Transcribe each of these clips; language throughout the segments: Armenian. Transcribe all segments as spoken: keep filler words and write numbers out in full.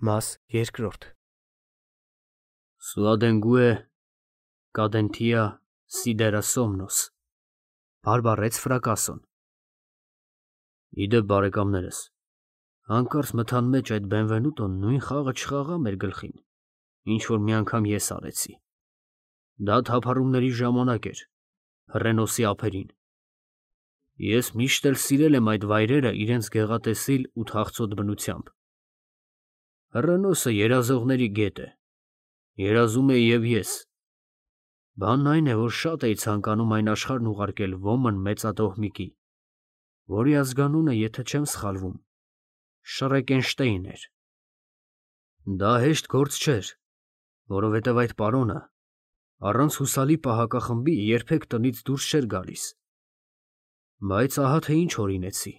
Մաս երկրորդ Սուադենգուե կադենթիա սիդերա սոմնոս բարբառեց Ֆրակասոն։ Իդեպ բարեկամներս, հանկարծ մթան մեջ այդ Բենվենուտոն նույն խաղը չխաղա մեր գլխին, ինչ որ մի անգամ ես արեցի։ Դա թափառումների ժամանակ էր, Հռենոսի ափերին։ Ես միշտ էլ սիրել եմ այդ վայրերը իրենց գեղատեսիլ ու թախծոտ բնությամբ։ Հռենոսը երազողների գետ է, երազում էի և ես։ Բանն այն է, որ շատ էի ցանկանում այն աշխարհն ուղարկել ոմն մեծատոհմիկի, որի ազգանունը, եթե չեմ սխալվում, Շրեկենշտեյն էր։ Դա հեշտ գործ չէր, որովհետև այդ պարոնը առանց հուսալի պահակախմբի երբեք տնից դուրս չէր գալիս։ Բայց ահա թե ինչ հորինեցի։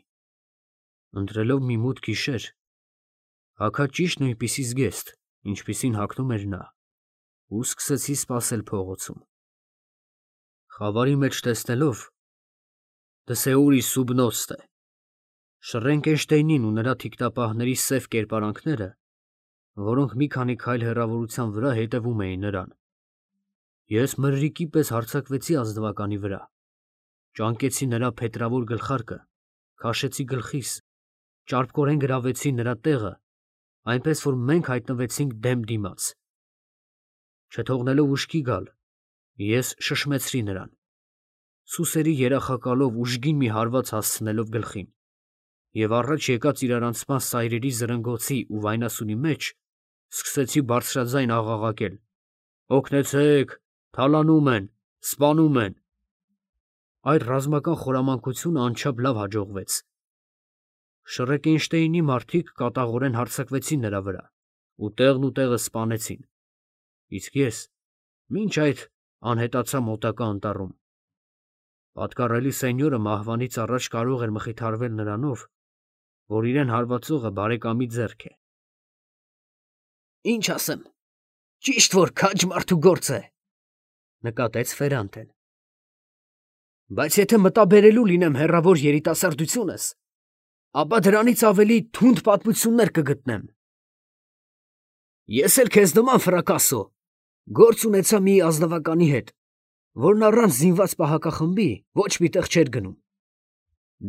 Ընտրելով մի մութ գիշեր, հագա ճիշտ նույնպիսի զգեստ, ինչպիսին հագնում էր նա, ու սկսեցի սպասել փողոցում։ Խավարի մեջ տեսնելով դսեուրի սուբնոստե Շռենկենշտեյնին ու նրա թիկնապահների սև կերպարանքները, որոնք մի քանի քայլ հեռավորության վրա հետևում էին նրան, ես մրրիկի պես հարձակվեցի ազնվականի վրա, ճանկեցի նրա փետրավոր գլխարկը, քաշեցի գլխիս, ճարպկորեն գրավեցի նրա տեղը, այնպես որ մենք հայտնվեցինք դեմ դիմաց։ Չթողնելով ուշքի գալ, ես շշմեցրի նրան, սուսերի երախակալով ուժգին մի հարված հասցնելով գլխին, և առաջ եկած իրարանցման սայրերի զրնգոցի ու վայնասունի մեջ սկսեցի բարձրաձայն աղաղակել. «Օգնեցե՛ք, թալանում են, սպանում են»։ Այդ ռազմական խորամանկությունը անչափ լավ հաջողվեց։ Շռեկենշտեյնի մարդիկ կատաղորեն հարձակվեցին նրա վրա ու տեղն ու տեղը սպանեցին, իսկ ես մինչ այդ անհետացա մոտակա անտառում։ Պատկառելի սենյորը մահվանից առաջ կարող էր մխիթարվել նրանով, որ իրեն հարվածողը բարեկամի ձեռք է։ «Ինչ ասեմ, ճիշտ որ քաջ մարդու գործ է, ֊ նկատեց Ֆերանտեն, ֊ բայց եթե մտաբերելու լինեմ հեռավոր երիտասարդությունս, ապա դրանից ավելի թունդ պատմություններ կգտնեմ։ Ես էլ քեզ նման, Ֆրակասո, գործ ունեցա մի ազնվականի հետ, որն առանց զինված պահակախմբի ոչ մի տեղ չէր գնում։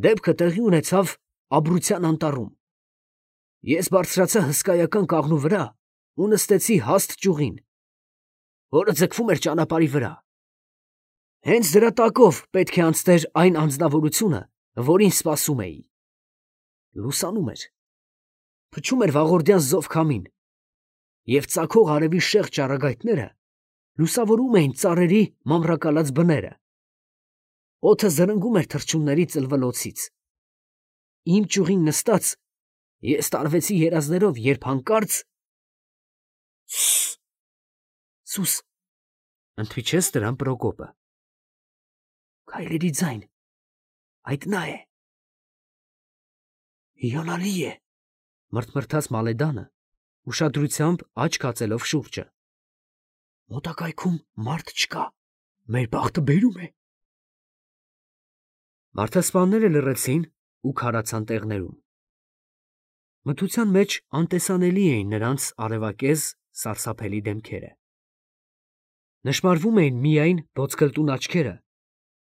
Դեպքը տեղի ունեցավ Աբրության անտառում։ Ես բարձրացա հսկայական կաղնու վրա ու նստեցի հաստ ճյուղին, որը ձգվում էր ճանապարհի վրա։ Հենց դրա տակով պետք է անցներ այն անձնավորությունը, որին սպասում էի։ Լուսանում էր, փչում էր վաղորդյան զով քամին, և ծագող արևի շեղջ ճառագայթները լուսավորում էին ծառերի մանրակալած բները։ Օդը զրնգում էր թռչունների ծլվլոցից։ Իմ ճյուղին նստած ես տարվեցի երազներով, երբ հանկարծ… Սը՜… Սուս… ընդհիջեց դրան Պրոկոպը։ Քայլերի ձայն… այդ նա է… Հիանալի է… մռթմռթաց Մալեդանը, ուշադրությամբ աչք հացելով շուրջը։ Մոտակայքում մարդ չկա… մեր բախտը բերում է… Մարդասպանները լռեցին ու քարացան տեղներում։ Մթության մեջ անտեսանելի էին նրանց արևակեզ սարսափելի դեմքերը։ Նշմարվում էին միայն ոսկրտուն աչքերը,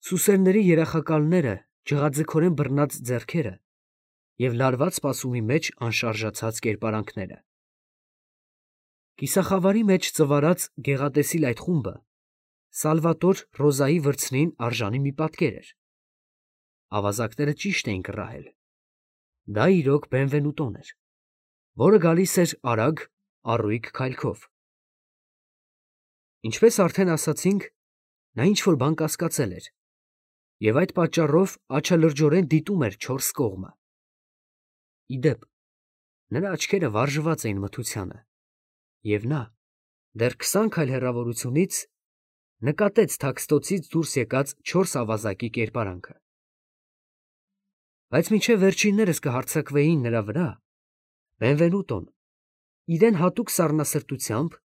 սուսերների երախակալները, ջղաձգորեն բռնած ձեռքերը և լարված սպասումի մեջ անշարժացած կերպարանքները։ Կիսախավարի մեջ ծվարած գեղատեսիլ այդ խումբը Սալվատոր Ռոզայի վրձնին արժանի մի պատկեր էր։ Ավազակները ճիշտ էին կռահել. դա իրոք Բենվենուտոն էր, որը գալիս էր արագ, առույգ քայլքով։ Ինչպես արդեն ասացինք, նա ինչ֊որ բան կասկածել էր, և այդ պատճառով աչալրջորեն դիտում էր չորս կողմը։ Ի դեպ, նրա աչքերը վարժված էին մթությանը, և նա, դեռ քսան քայլ հեռավորությունից, նկատեց թաքստոցից դուրս եկած չորս ավազակի կերպարանքը։ Բայց մինչև վերջիններս կհարձակվեին նրա վրա, Բենվենուտոն իրեն հատուկ սառնասրտությամբ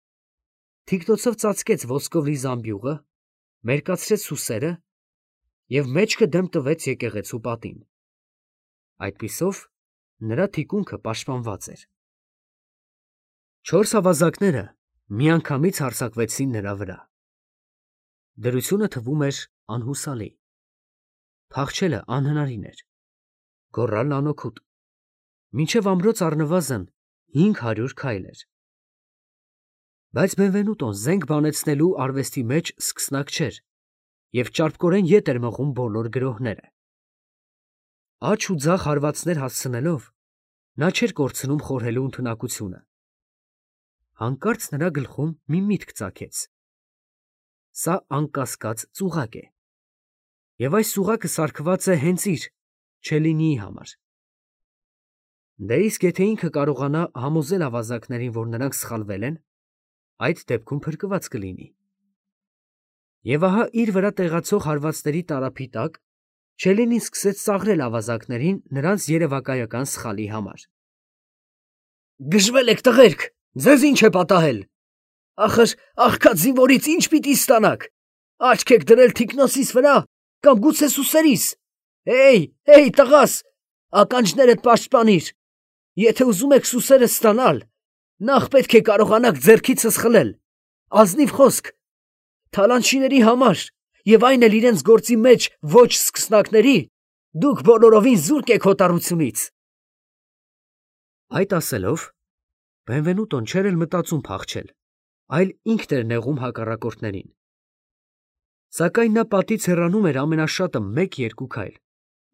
թիկնոցով ծածկեց ոսկով լի զամբյուղը, մերկացրեց սուսերը և մեջքը դեմ տվեց եկեղեցու պատին։ Այդպիսով նրա թիկունքը պաշտպանված էր։ Չորս ավազակները միանգամից հարձակվեցին նրա վրա։ Դրությունը թվում էր անհուսալի։ Փախչելը անհնարին էր։ Գոռալն անօգուտ։ Մինչև ամրոց առնվազն հինգ հարյուր քայլ էր։ Բայց Բենվենուտոն զենք բանեցնելու արվեստի մեջ սկսնակ չէր և ճարպկորեն ետ էր մղում բոլոր գրոհները։ Աջ ու ձախ հարվածներ հասցնելով, նա չէր կորցնում խորհելու ընդունակությունը։ Հանկարծ նրա գլխում մի միտք ծագեց. սա անկասկած ծուղակ է, և այս ծուղակը սարքված է հենց իր Չելինիի համար։ Դե իսկ եթե ինքը կարողանա համոզել ավազակներին, որ նրանք սխալվել են, այդ դեպքում փրկված կլինի։ Եվ ահա իր վրա տեղացող հարվածների տարափի տակ Չելինին սկսեց ծաղրել ավազակներին նրանց երևակայական սխալի համար։ Գժվել եք, տղերք, ձեզ ինչ է պատահել։ Ախր աղքատ զինվորից ինչ պիտի ստանաք։ Աչք եք դրել թիկնոցիս վրա կամ գուցե սուսերիս։ Հեյ, հեյ, տղաս, ականջներդ պաշտպանիր։ Եթե ուզում եք սուսերը ստանալ, նախ պետք է կարողանաք ձեռքիցս խլել։ Ազնիվ խոսք, թալանչիների համար և այն էլ իրենց գործի մեջ ոչ սկսնակների, դուք բոլորովին զուրկ եք հոտառությունից։ Այդ ասելով, Բենվենուտոն չէր էլ մտածում փախչել, այլ ինքն էր նեղում հակառակորդներին։ Սակայն նա պատից հեռանում էր ամենաշատը մեկ֊երկու քայլ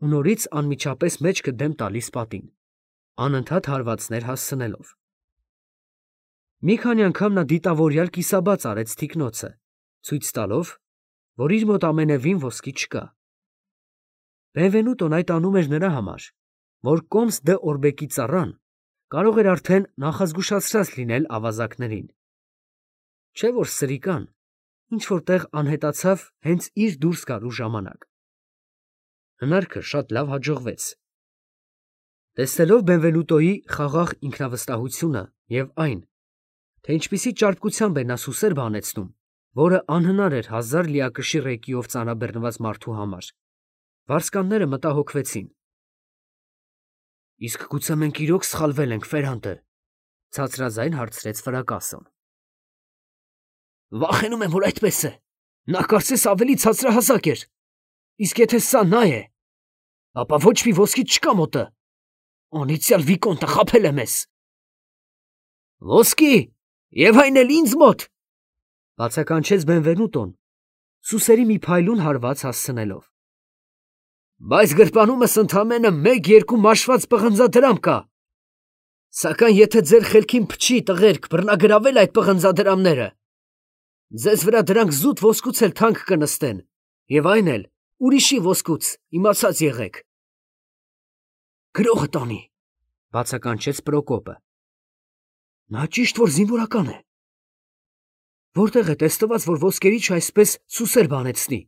ու նորից անմիջապես մեջքը դեմ տալիս պատին, անընդհատ հարվածներ հասցնելով։ Մի քանի անգամ նա դիտավորյալ կիսաբաց արեց թիկնոցը, ցույց տալով, որ իր մոտ ամենևին ոսկի չկա։ Բենվենուտոն այդ անում էր նրա համար, որ Կոմս դե Օրբեկի ծառան կարող էր արդեն նախազգուշացրած լինել ավազակներին։ Չէ՞ որ սրիկան ինչ-որ տեղ անհետացավ հենց իր դուրս գալու ժամանակ։ Հնարքը շատ լավ հաջողվեց։ Տեսնելով Բենվենուտոյի խաղաղ ինքնավստահությունը և այն, թե ինչպիսի ճարպկությամբ է նա սուսեր բանեցնում, որը անհնար էր հազար լիակշիռ էկիով ծանրաբեռնված մարդու համար, վարձկանները մտահոգվեցին։ Իսկ գուցե մենք իրոք սխալվել ենք, Ֆերանտե, ցածրաձայն հարցրեց վրակասոն։ Վախենում եմ, որ այդպես է։ Նա կարծես ավելի ցածրահասակ էր։ Իսկ եթե սա նա է, ապա ոչ մի ոսկի չկա մոտը։ Անիծյալ վիկոնտը խաբել է մեզ։ Ոսկի, և այն էլ ինձ մոտ, բացականչեց Բենվենուտոն, սուսերի մի փայլուն հարված հասցնելով։ Բայց գրպանումս ընդամենը մեկ֊երկու մաշված պղնձադրամ կա։ Սակայն եթե ձեր խելքին փչի, տղերք, բռնագրավել այդ պղնձադրամները, ձեզ վրա դրանք զուտ ոսկուց էլ թանկ կնստեն, և այն էլ ուրիշի ոսկուց, իմացած եղեք։ Գրողը տանի, բացականչեց Պրոկոպը։ Նա ճիշտ որ զինվորական է։ Որտեղ է տեսնված, որ ոսկերիչը այսպես սուսեր բանեցնի։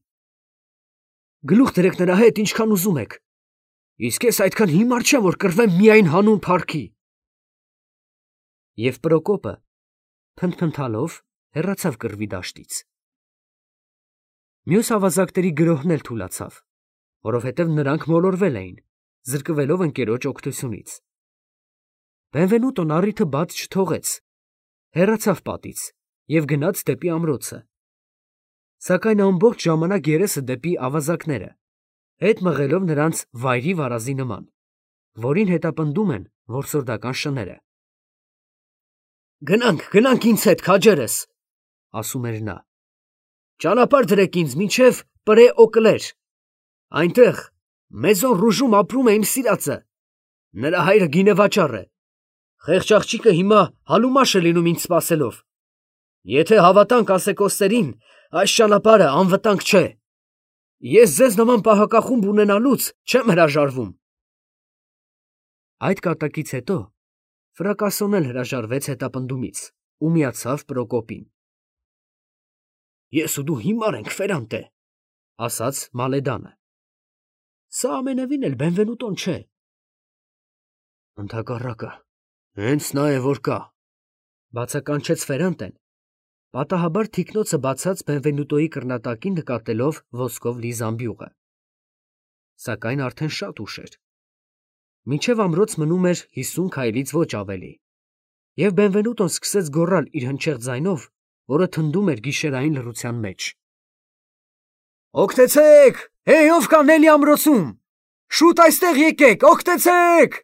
Գլուխ դրեք նրա հետ ինչքան ուզում եք։ Իսկ ես այդքան հիմար չեմ, որ կռվեմ միայն հանուն փառքի։ Եվ Պրոկոպը փնթփնթալով հեռացավ կռվի դաշտից։ Մյուս ավազակների գրոհն էլ թուլացավ, որովհետև նրանք մոլորվել էին, զրկվելով ընկերոջ օգնությունից։ Բենվենուտոն առիթը բաց չթողեց, հեռացավ պատից և գնաց դեպի ամրոցը։ Սակայն ամբողջ ժամանակ երեսը դեպի ավազակները, հետ մղելով նրանց վայրի վարազի նման, որին հետապնդում են որսորդական շները։ Գնանք, գնանք ինձ հետ, քաջերս, ասում էր նա։ Ճանապարհ դրեք ինձ մինչև Պրե Օկլեր։ Այնտեղ Մեզոն Ռուժում ապրում է իմ սիրածը։ Նրա հայրը գինեվաճառ է։ Խեղճ աղջիկը հիմա հալումաշ է լինում ինձ սպասելով։ Եթե հավատանք ասեկոսներին, այս ճանապարհը անվտանգ չէ։ Ես ձեզ նման պահակախումբ ունենալուց չեմ հրաժարվում։ Այդ կատակից հետո Ֆրակասոն էլ հրաժարվեց հետապնդումից ու միացավ Պրոկոպին։ Ես ու դու հիմար ենք, Ֆերանտե, ասաց Մալեդանը։ Սա ամենևին էլ Բենվենուտոն չէ։ Ընդհակառակը, հենց նա է, որ կա, բացականչեց Ֆերանտեն, պատահաբար թիկնոցը բացած Բենվենուտոյի կռնատակին նկատելով ոսկով լի զամբյուղը։ Սակայն արդեն շատ ուշ էր։ Մինչև ամրոց մնում էր հիսուն քայլից ոչ ավելի։ Եվ Բենվենուտոն սկսեց գոռալ իր հնչեղ ձայնով, որը թնդում էր գիշերային լռության մեջ. «Օգտեցեք! Հեյ, ով կա Նելի ամրոցում, շուտ այստեղ եկեք, օգտեցեք»։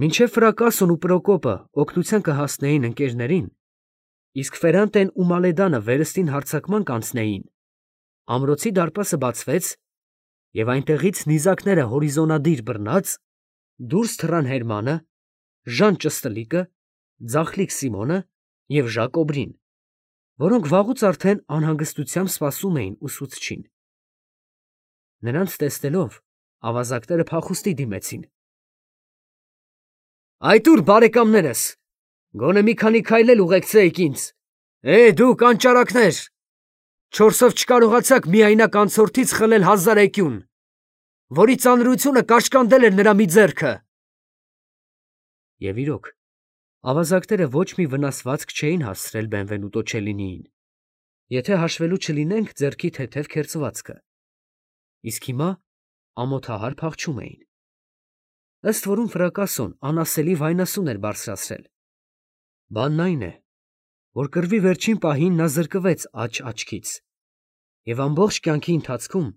Մինչև Ֆրակասոն ու Պրոկոպը օգնության կհասնեին ընկերներին, իսկ Ֆերանտեն ու Մալեդանը վերստին հարձակման կանցնեին, ամրոցի դարպասը բացվեց, և այնտեղից նիզակները հորիզոնադիր բռնած դուրս թռան Հերմանը, Ժան Ճստլիկը, Ձախլիկ Սիմոնը և Ժակոբրին, որոնք վաղուց արդեն անհանգստությամբ սպասում էին ուսուցչին։ Նրանց տեսնելով, ավազակները փախուստի դիմեցին։ «Այդ ուր, բարեկամներս, գոնե մի քանի քայլ էլ ուղեկցեիք ինձ, է, դուք անճարակներ, չորսով չկարողացաք միայնակ անցորդից խլել հազար էկյուն, որի ծանրությունը կաշկանդել էր նրա մի ձեռքը»։ Եվ իրոք, ավազակները ոչ մի վնասվածք չէին հասցրել Բենվենուտո Չելլինիին, եթե հաշվելու չլինենք ձեռքի թեթև քերծվածքը, իսկ հիմա ամոթահար փախչում էին։ Ըստ որում Ֆրակասոն անասելի վայնասուն էր բարձրացրել։ Բանն այն է, որ կռվի վերջին պահին նա զրկվեց աջ աչքից, և ամբողջ կյանքի ընթացքում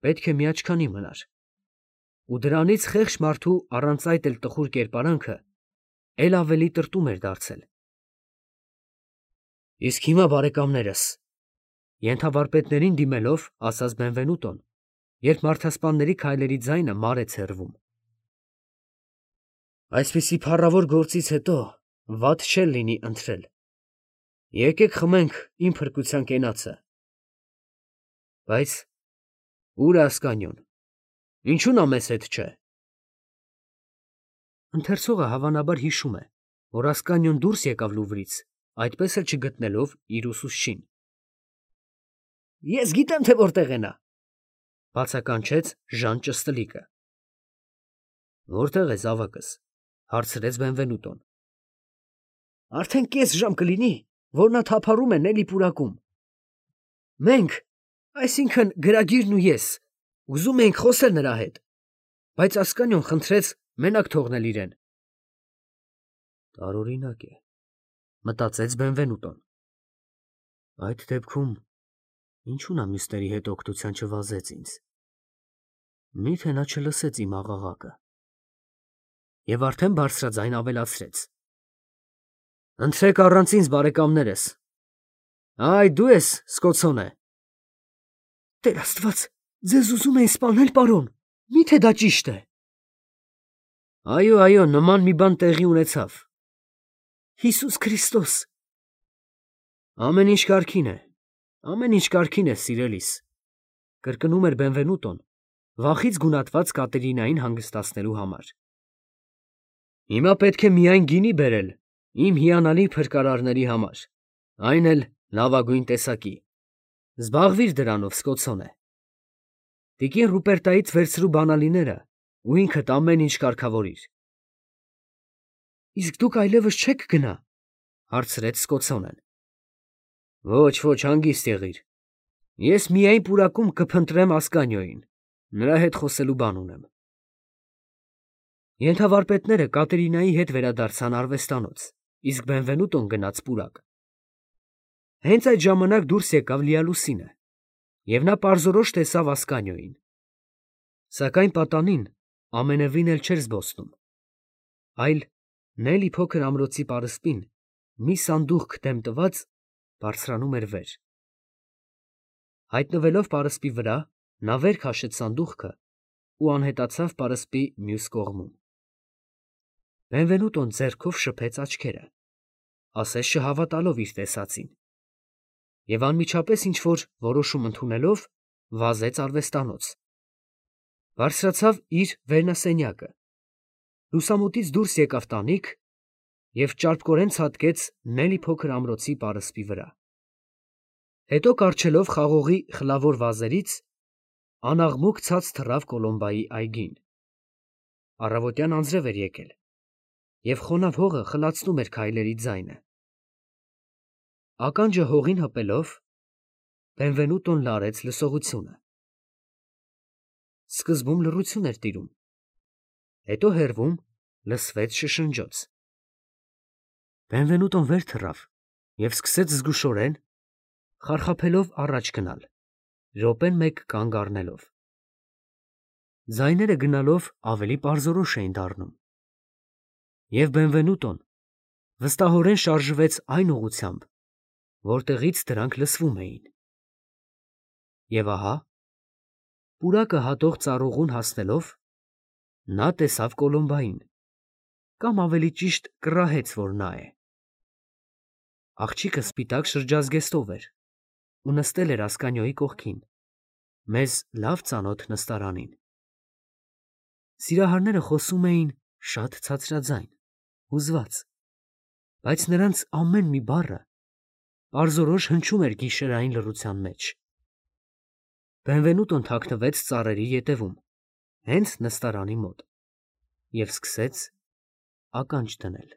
պետք է մի աչքանի մնար, ու դրանից խեղճ մարդու առանց այդ էլ տխուր կերպարանքը էլ ավելի տրտում էր դարձել։ Իսկ հիմա, բարեկամներս, ենթավարպետներին դիմելով, ասաց Բենվենուտոն, երբ մարդասպանների քայլերի ձայնը մարեց հեռվում, այսպիսի փառավոր գործից հետո վատ չէր լինի ընթրել. եկեք խմենք իմ փրկության կենացը։ Բայց ո՞ւր է Ասկանիոն, ինչու նա մեզ հետ չէ։ Ընթերցողը հավանաբար հիշում է, որ Ասկանիոն դուրս եկավ Լուվրից, այդպես էլ չգտնելով իր ուսուցչին։ Ես գիտեմ, թե որտեղ է նա, բացականչեց Ժան Ճստլիկը։ Որտեղ է զավակս, հարցրեց Բենվենուտոն։ Արդեն կես ժամ կլինի, որ նա թափառում է Նելի պուրակում։ Մենք, այսինքն գրագիրն ու ես, ուզում էինք խոսել նրա հետ, բայց Ասկանիոն խնդրեց մենակ թողնել իրեն։ Տարօրինակ է, մտածեց Բենվենուտոն։ Այդ դեպքում ինչու նա մյուսների հետ օգնության չվազեց ինձ։ Միթե նա չլսեց իմ աղաղակը։ Եվ արդեն բարձրաձայն ավելացրեց. Ընթրեք առանց ինձ, բարեկամներս։ Այ դու ես, Սկոցոնե։ Տեր Աստված, ձեզ ուզում էին սպանել, պարոն, միթե դա ճիշտ է։ Այո, այո, նման մի բան տեղի ունեցավ։ Հիսուս Քրիստոս։ Ամեն ինչ կարգին է, ամեն ինչ կարգին է, սիրելիս, կրկնում էր Բենվենուտոն, վախից գունատված Կատերինային հանգստացնելու համար։ Հիմա պետք է միայն գինի բերել իմ հիանալի փրկարարների համար, այն էլ լավագույն տեսակի։ Զբաղվիր դրանով, Սկոցոնե։ Տիկին Ռուպերտայից վերցրու բանալիները ու ինքդ ամեն ինչ կարգավորիր։ Իսկ դուք այլևս չեք գնա, հարցրեց Սկոցոնեն։ Ոչ, ոչ, հանգիստ եղիր։ Ես միայն պուրակում կփնտրեմ Ասկանիոյին, նրա հետ խոսելու բան ունեմ։ Ենթավարպետները Կատերինայի հետ վերադարձան արվեստանոց, իսկ Բենվենուտոն գնաց պուրակ։ Հենց այդ ժամանակ դուրս եկավ Լիալուսինը, և նա պարզորոշ տեսավ Ասկանիոյին։ Սակայն պատանին ամենևին էլ չէր զբոսնում, այլ Նելի փոքր ամրոցի պարսպին մի սանդուղք դեմ տված բարձրանում էր վեր։ Հայտնվելով պարսպի վրա, նա վեր քաշեց սանդուղքը ու անհետացավ պարսպի մյուս կողմում։ Բենվենուտոն ձեռքով շփեց աչքերը, ասես չհավատալով իր տեսածին, և անմիջապես ինչ-որ որոշում ընդունելով, վազեց արվեստանոց։ Բարձրացավ իր վերնասենյակը, լուսամուտից դուրս եկավ տանիք և ճարպկորեն ցատկեց Նելի փոքր ամրոցի պարսպի վրա։ Հետո կառչելով խաղողի խլավոր վազերից, անաղմուկ ցած թռավ Կոլոմբայի այգին։ Առավոտյան անձրև էր եկել, և խոնավ հողը խլացնում էր քայլերի ձայնը։ Ականջը հողին հպելով, Բենվենուտոն լարեց լսողությունը։ Սկզբում լռություն էր տիրում, հետո հեռվում լսվեց շշնջոց։ Բենվենուտոն վեր թռավ և սկսեց զգուշորեն, խարխափելով առաջ գնալ, րոպեն մեկ կանգ առնելով։ Ձայները գնալով ավելի պարզորոշ էին դառնում, և Բենվենուտոն վստահորեն շարժվեց այն ուղղությամբ, որտեղից դրանք լսվում էին։ Եվ ահա, պուրակը հատող ծառուղուն հասնելով, նա տեսավ Կոլոմբային, կամ ավելի ճիշտ կռահեց, որ նա է։ Աղջիկը սպիտակ շրջազգեստով էր ու նստել էր Ասկանիոյի կողքին, մեզ լավ ծանոթ նստարանին։ Սիրահարները խոսում էին շատ ցածրաձայն, հուզված, բայց նրանց ամեն մի բառը պարզորոշ հնչում էր գիշերային լռության մեջ։ Բենվենուտոն թաքնվեց ծառերի ետևում, հենց նստարանի մոտ, և սկսեց ականջ դնել։